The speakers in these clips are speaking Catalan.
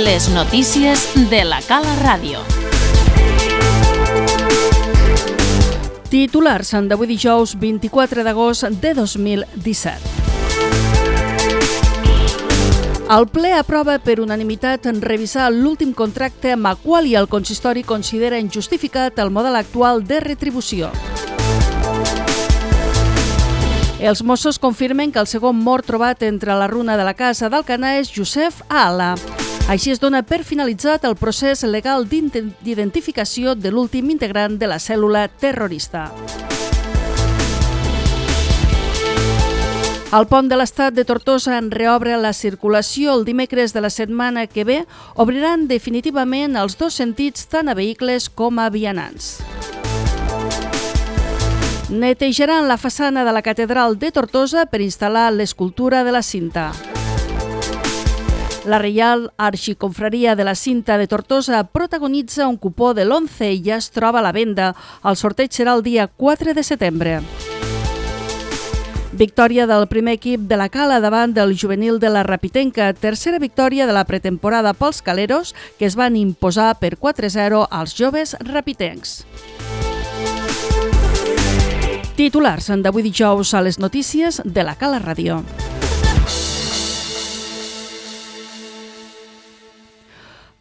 Les notícies de la Cala Ràdio. Titulars d'avui dijous 24 d'agost de 2017. El ple aprova per unanimitat revisar l'últim contracte amb el qual el consistori considera injustificat el model actual de retribució. Els Mossos confirmen que el segon mort trobat entre la runa de la casa d'Alcanar és Josep Ala. Així es dona per finalitzat el procés legal d'identificació de l'últim integrant de la cèl·lula terrorista. El pont de l'Estat de Tortosa en reobre la circulació el dimecres de la setmana que ve, obriran definitivament els dos sentits tant a vehicles com a vianants. Netejaran la façana de la Catedral de Tortosa per instal·lar l'escultura de la Cinta. La Reial Arxiconfraria de la Cinta de Tortosa protagonitza un cupó de l'11 i ja es troba a la venda. El sorteig serà el dia 4 de setembre. Victòria del primer equip de la Cala davant del juvenil de la Rapitenca. Tercera victòria de la pretemporada pels caleros, que es van imposar per 4-0 als joves rapitencs. Titulars d'avui dijous a les notícies de la Cala Ràdio.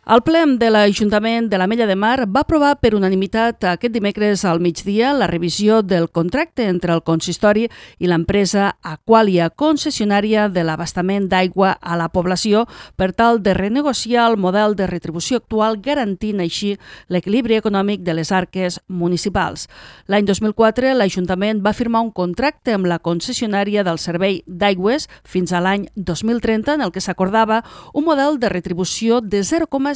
El ple de l'Ajuntament de l'Ametlla de Mar va aprovar per unanimitat aquest dimecres al migdia la revisió del contracte entre el consistori i l'empresa Aqualia, concessionària de l'abastament d'aigua a la població, per tal de renegociar el model de retribució actual, garantint així l'equilibri econòmic de les arques municipals. L'any 2004, l'Ajuntament va firmar un contracte amb la concessionària del servei d'aigües fins a l'any 2030, en el que s'acordava un model de retribució de 0,70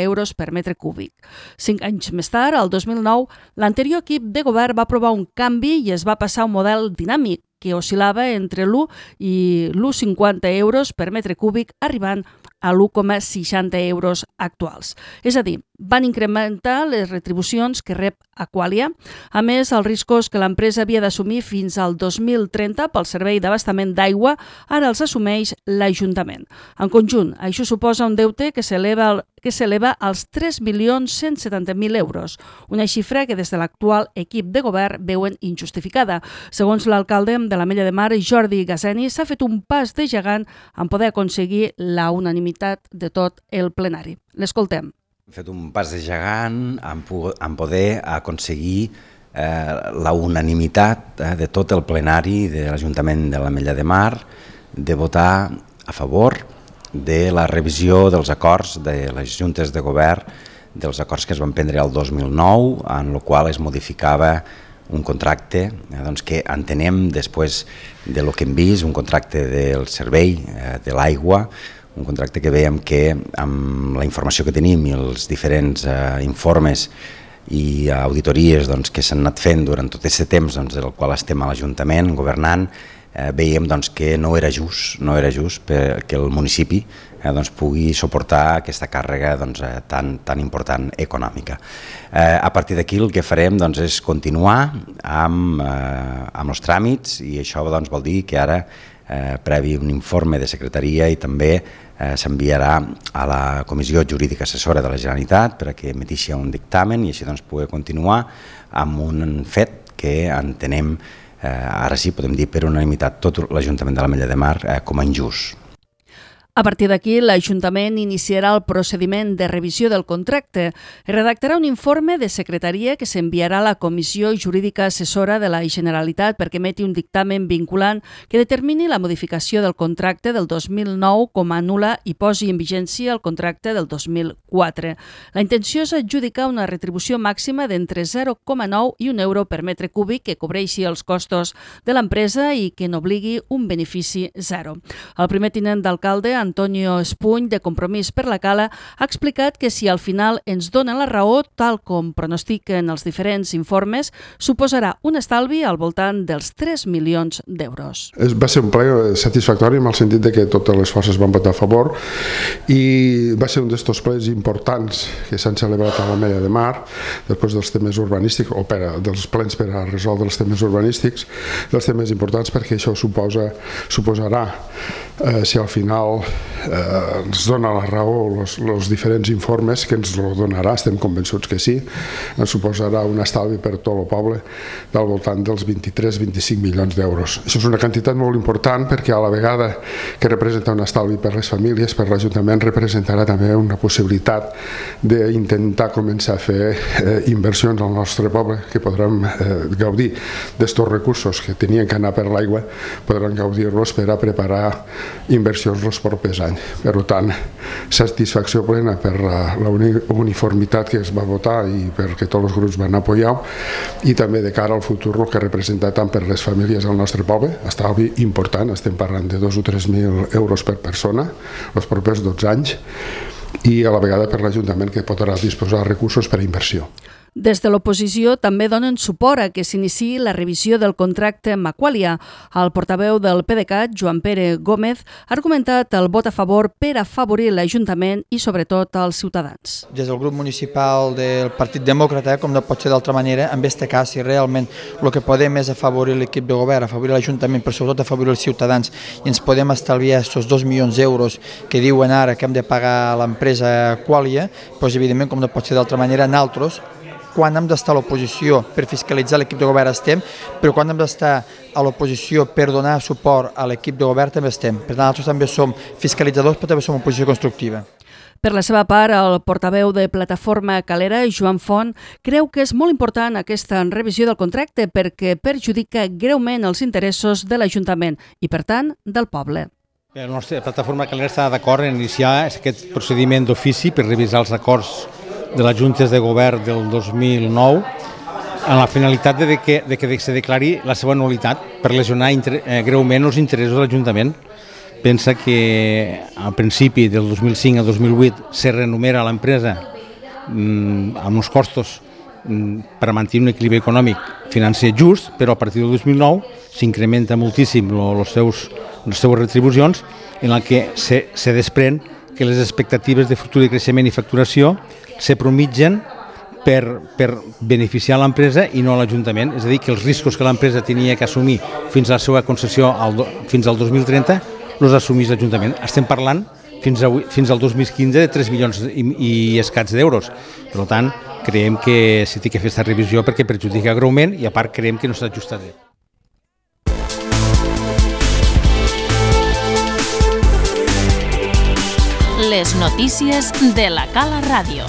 euros per metre cúbic. 5 anys més tard, el 2009, l'anterior equip de govern va aprovar un canvi i es va passar a un model dinàmic que oscil·lava entre l'1 i l'1,50 euros per metre cúbic, arribant a l'1,60 euros actuals. És a dir, van incrementar les retribucions que rep Aqualia. A més, els riscos que l'empresa havia d'assumir fins al 2030 pel servei d'abastament d'aigua ara els assumeix l'Ajuntament. En conjunt, això suposa un deute que s'eleva als 3.170.000 euros, una xifra que des de l'actual equip de govern veuen injustificada. Segons l'alcalde de l'Ametlla de Mar, Jordi Gaseni, s'ha fet un pas de gegant en poder aconseguir la unanimitat de tot el plenari. L'escoltem. Hem fet un pas de gegant en poder aconseguir la unanimitat de tot el plenari de l'Ajuntament de l'Ametlla de Mar de votar a favor de la revisió dels acords de les juntes de govern, dels acords que es van prendre el 2009, en el qual es modificava un contracte que entenem després del que hem vist, un contracte del servei de l'aigua, un contracte que veiem que amb la informació que tenim i els diferents informes i auditories que s'han anat fent durant tot aquest temps del qual estem a l'Ajuntament governant, veiem que no era just perquè el municipi pugui suportar aquesta càrrega tan important econòmica. A partir d'aquí el que farem és continuar amb els tràmits i això vol dir que ara, previ un informe de secretaria, i també s'enviarà a la Comissió Jurídica Assessora de la Generalitat perquè emetixi un dictamen i així poder continuar amb un fet que entenem, ara sí podem dir per unanimitat tot l'Ajuntament de l'Ametlla de Mar, com a injust. A partir d'aquí, l'Ajuntament iniciarà el procediment de revisió del contracte. Redactarà un informe de secretaria que s'enviarà a la Comissió Jurídica Assessora de la Generalitat perquè emeti un dictamen vinculant que determini la modificació del contracte del 2009 com a nul·la i posi en vigència el contracte del 2004. La intenció és adjudicar una retribució màxima d'entre 0,9 i 1 euro per metre cúbic que cobreixi els costos de l'empresa i que n'obligui un benefici zero. El primer tinent d'alcalde, Antonio Espuny, de Compromís per la Cala, ha explicat que si al final ens donen la raó, tal com pronostiquen els diferents informes, suposarà un estalvi al voltant dels 3 milions d'euros. Va ser un ple satisfactori en el sentit de que totes les forces van votar a favor i va ser un d'estos plens importants que s'han celebrat a l'Ametlla de Mar després dels temes urbanístics o dels plens per a resoldre els temes urbanístics, els temes importants perquè això suposarà, si al final ens dona la raó els diferents informes, que ens ho donarà, estem convençuts que sí, ens suposarà un estalvi per tot el poble del voltant dels 23-25 milions d'euros. Això és una quantitat molt important perquè a la vegada que representa un estalvi per les famílies, per l'Ajuntament representarà també una possibilitat d'intentar començar a fer inversions al nostre poble, que podrem gaudir d'estos recursos que tenien que anar per l'aigua, podran gaudir-los per a preparar inversions els propers anys. Per tant, satisfacció plena per la uniformitat que es va votar i perquè tots els grups van apoyar, i també de cara al futur el que representa tant per les famílies del nostre poble, estalvi important, estem parlant de 2 o 3 mil euros per persona els propers 12 anys, i a la vegada per l'Ajuntament, que podrà disposar de recursos per a inversió. Des de l'oposició també donen suport a que s'iniciï la revisió del contracte amb Aqualia. El portaveu del PDeCAT, Joan Pere Gómez, ha argumentat el vot a favor per afavorir l'Ajuntament i sobretot els ciutadans. Des del grup municipal del Partit Demòcrata, com no pot ser d'altra manera, en este cas, si realment el que podem és afavorir l'equip de govern, afavorir l'Ajuntament, però sobretot afavorir els ciutadans, i ens podem estalviar aquests 2 milions d'euros que diuen ara que hem de pagar a l'empresa Aqualia, doncs evidentment, com no pot ser d'altra manera, nosaltres, quan hem d'estar a l'oposició per fiscalitzar l'equip de govern estem, però quan hem d'estar a l'oposició per donar suport a l'equip de govern també estem. Per tant, nosaltres també som fiscalitzadors, però també som oposició constructiva. Per la seva part, el portaveu de Plataforma Calera, Joan Font, creu que és molt important aquesta revisió del contracte perquè perjudica greument els interessos de l'Ajuntament i, per tant, del poble. La nostra Plataforma Calera està d'acord en iniciar aquest procediment d'ofici per revisar els acords de les Juntes de Govern del 2009 amb la finalitat de que se declari la seva nul·litat per lesionar greument els interessos de l'Ajuntament. Pensa que al principi del 2005 al 2008 se renumera l'empresa amb uns costos per mantenir un equilibri econòmic financer just, però a partir del 2009 s'incrementa moltíssim les seues retribucions, en la que se desprèn que les expectatives de futur de creixement i facturació se promitgen per beneficiar l'empresa i no l'Ajuntament. És a dir, que els riscos que l'empresa tenia que assumir fins a la seva concessió fins al 2030 els assumís l'Ajuntament. Estem parlant fins al 2015 de 3 milions i escaig d'euros. Per tant, creiem que s'ha de fer aquesta revisió perquè perjudica greument i a part creiem que no s'ha ajustat bé. Les notícies de la Cala Ràdio.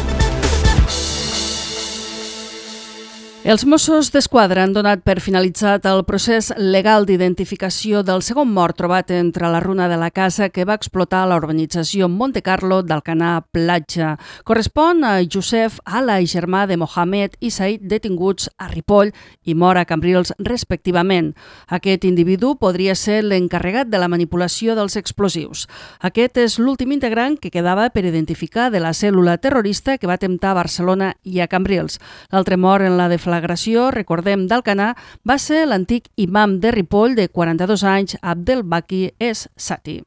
Els Mossos d'Esquadra han donat per finalitzat el procés legal d'identificació del segon mort trobat entre la runa de la casa que va explotar a la urbanització Montecarlo d'Alcanar Platja. Correspon a Josef Ala, germà de Mohamed i Said, detinguts a Ripoll i Móra, Cambrils, respectivament. Aquest individu podria ser l'encarregat de la manipulació dels explosius. Aquest és l'últim integrant que quedava per identificar de la cèl·lula terrorista que va atemptar a Barcelona i a Cambrils. L'altre mort en la deflagració, recordem, d'Alcanar, va ser l'antic imam de Ripoll de 42 anys, Abdelbaki Es Sati.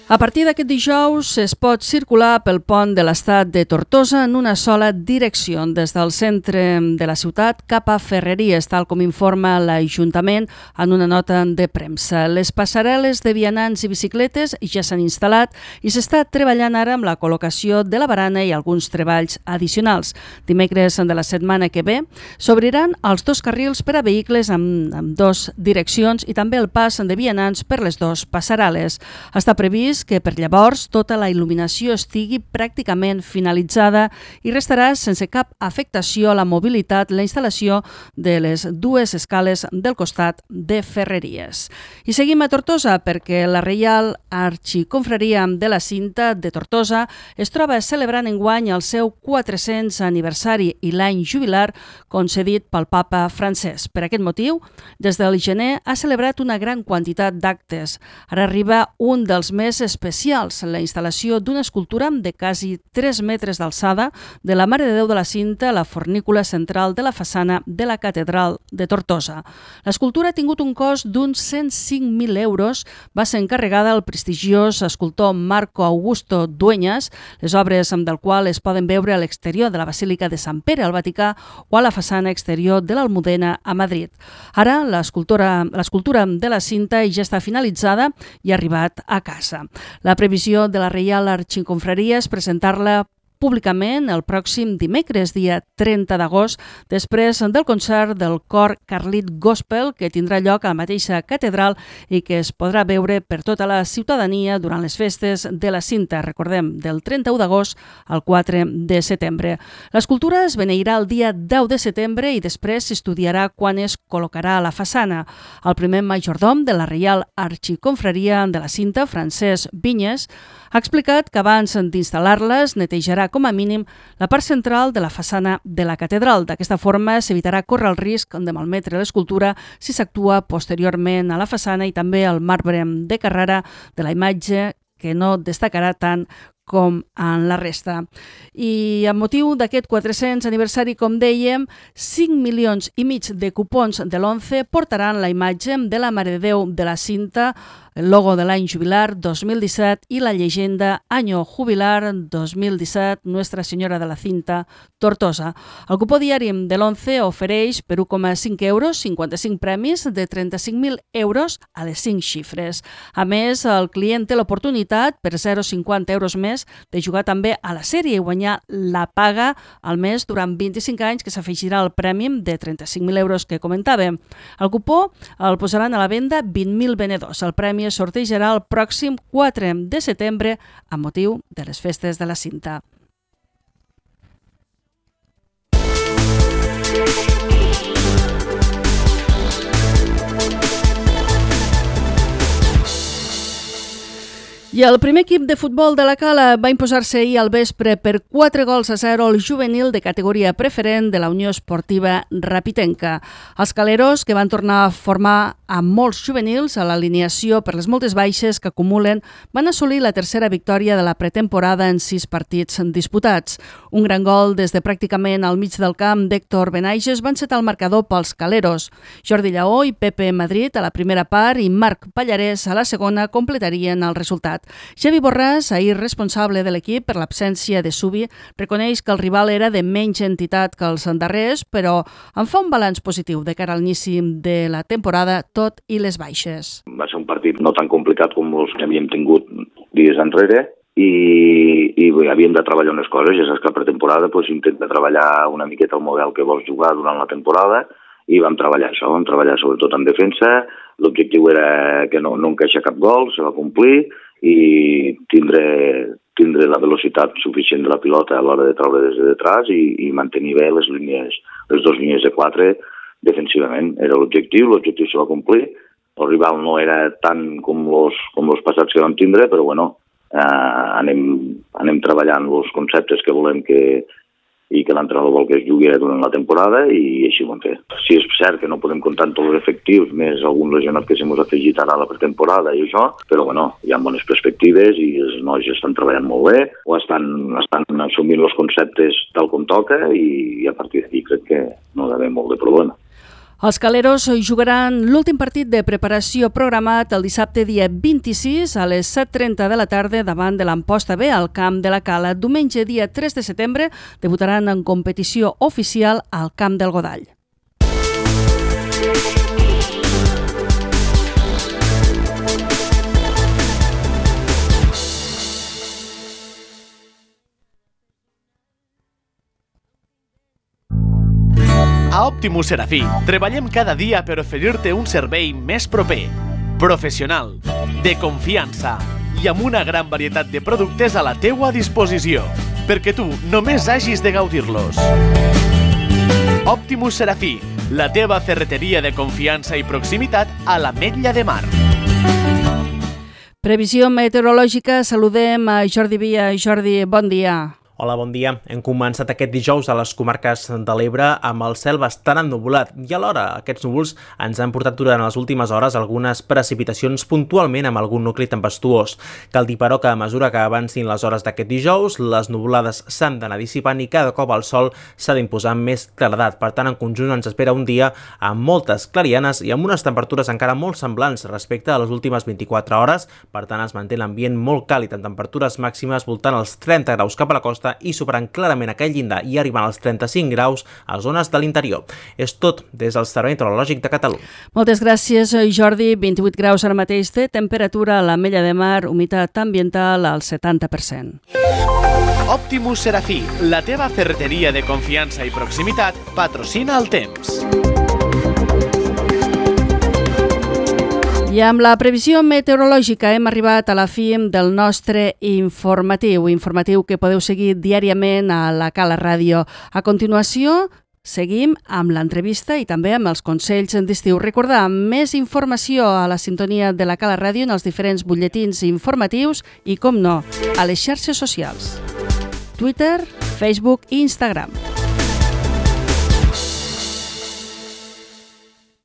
A partir d'aquest dijous es pot circular pel pont de l'Estat de Tortosa en una sola direcció, des del centre de la ciutat cap a Ferreries, tal com informa l'Ajuntament en una nota de premsa. Les passarel·les de vianants i bicicletes ja s'han instal·lat i s'està treballant ara amb la col·locació de la barana i alguns treballs addicionals. Dimecres de la setmana que ve s'obriran els 2 carrils per a vehicles amb 2 direccions i també el pas de vianants per les 2 passarel·les. Està previst que per llavors tota la il·luminació estigui pràcticament finalitzada i restarà sense cap afectació a la mobilitat la instal·lació de les 2 escales del costat de Ferreries. I seguim a Tortosa perquè la Reial Arxiconfraria de la Cinta de Tortosa es troba celebrant enguany el seu 400 aniversari i l'any jubilar concedit pel papa Francesc. Per aquest motiu, des del gener ha celebrat una gran quantitat d'actes. Ara arriba un dels més especials, la instal·lació d'una escultura de quasi 3 metres d'alçada de la Mare de Déu de la Cinta a la fornícula central de la façana de la Catedral de Tortosa. L'escultura ha tingut un cost d'uns 105.000 euros, va ser encarregada al prestigiós escultor Marco Augusto Dueñas, les obres del qual es poden veure a l'exterior de la Basílica de Sant Pere al Vaticà o a la façana exterior de l'Almudena a Madrid. Ara, l'escultura de la Cinta ja està finalitzada i ha arribat a casa. La previsió de la Reial Arxiconfraria és presentar-la públicament el pròxim dimecres, dia 30 d'agost, després del concert del cor Carlit Gospel, que tindrà lloc a la mateixa catedral i que es podrà veure per tota la ciutadania durant les festes de la Cinta, recordem, del 31 d'agost al 4 de setembre. L'escultura es beneirà el dia 10 de setembre i després s'estudiarà quan es col·locarà a la façana. El primer majordom de la Reial Arxiconfraria de la Cinta, Francesc Vinyes, ha explicat que abans d'instal·lar-les netejarà com a mínim la part central de la façana de la catedral. D'aquesta forma s'evitarà córrer el risc de malmetre l'escultura si s'actua posteriorment a la façana i també al marbre de Carrara de la imatge, que no destacarà tant com en la resta. I amb motiu d'aquest 400 aniversari, com dèiem, 5,5 milions de cupons de l'11 portaran la imatge de la Mare de Déu de la Cinta, el logo de l'any jubilar 2017 i la llegenda Año Jubilar 2017 Nuestra Senyora de la Cinta, Tortosa. El cupó diari de l'11 ofereix per 1,5 euros 55 premis de 35.000 euros a les 5 xifres. A més, el client té l'oportunitat, per 0,50 euros més, de jugar també a la sèrie i guanyar la paga al mes durant 25 anys, que s'afegirà al premi de 35.000 euros que comentàvem. El cupó el posaran a la venda 20.000 venedors. El premi es sortejarà el pròxim 4 de setembre amb motiu de les festes de la Cinta. I el primer equip de futbol de la Cala va imposar-se ahir al vespre per 4-0 al juvenil de categoria preferent de la Unió Esportiva Rapitenca. Els caleros, que van tornar a formar amb molts juvenils a l'alineació per les moltes baixes que acumulen, van assolir la tercera victòria de la pretemporada en 6 partits disputats. Un gran gol des de pràcticament al mig del camp d'Héctor Benaiges van setar el marcador pels caleros. Jordi Lleó i Pepe Madrid a la primera part i Marc Pallarès a la segona completarien el resultat. Xavi Borràs, ahir responsable de l'equip per l'absència de Subi, reconeix que el rival era de menys entitat que els darrers, però en fa un balanç positiu de cara a l'inici de la temporada, tot i les baixes. Va ser un partit no tan complicat com els que havíem tingut dies enrere i havíem de treballar unes coses. Ja saps que a pretemporada intenta treballar una miqueta el model que vols jugar durant la temporada i vam treballar això, vam treballar sobretot en defensa. L'objectiu era que no encaixar cap gol, se va complir, i tindre la velocitat suficient de la pilota a l'hora de treure des de detrás i mantenir bé les 2 línies de 4 defensivament. Era l'objectiu se va complir. El rival no era tant com els passats que vam tindre, però bueno, anem treballant els conceptes que volem i que l'entrenador vol que es jugui durant la temporada i així ho hem fet. Sí, és cert que no podem comptar amb tots els efectius, més alguns lesionats que s'hem afegit ara a la pretemporada i això, però bueno, hi ha bones perspectives i els nois estan treballant molt bé o estan assumint els conceptes tal com toca i a partir d'aquí crec que no hi ha d'haver molt de problema. Els caleros jugaran l'últim partit de preparació programat el dissabte dia 26 a les 7:30 de la tarda davant de l'Amposta B al camp de la Cala. Diumenge dia 3 de setembre debutaran en competició oficial al camp del Godall. A Optimus Serafí treballem cada dia per oferir-te un servei més proper, professional, de confiança i amb una gran varietat de productes a la teua disposició, perquè tu només hagis de gaudir-los. Optimus Serafí, la teva ferreteria de confiança i proximitat a l'Ametlla de Mar. Previsió meteorològica, saludem a Jordi Via. Jordi, bon dia. Hola, bon dia. Hem començat aquest dijous a les comarques de l'Ebre amb el cel bastant ennuvolat i alhora aquests núvols ens han portat durant les últimes hores algunes precipitacions puntualment amb algun nucli tempestuós. Cal dir, però, que a mesura que avancin les hores d'aquest dijous, les nuvolades s'han d'anar dissipant i cada cop el sol s'ha d'imposar amb més claredat. Per tant, en conjunt ens espera un dia amb moltes clarianes i amb unes temperatures encara molt semblants respecte a les últimes 24 hores. Per tant, es manté l'ambient molt càlid amb temperatures màximes voltant els 30 graus cap a la costa i superant clarament aquell llindar i arribant als 35 graus a zones de l'interior. És tot des del Servei Meteorològic de Catalunya. Moltes gràcies, Jordi. 28 graus ara mateix de temperatura a l'Ametlla de Mar, humitat ambiental al 70%. Optimus Serafí, la teva ferreteria de confiança i proximitat, patrocina el temps. I amb la previsió meteorològica hem arribat a la fi del nostre informatiu que podeu seguir diàriament a la Cala Ràdio. A continuació, seguim amb l'entrevista i també amb els consells d'estiu. Recordar, més informació a la sintonia de la Cala Ràdio en els diferents butlletins informatius i, com no, a les xarxes socials. Twitter, Facebook i Instagram.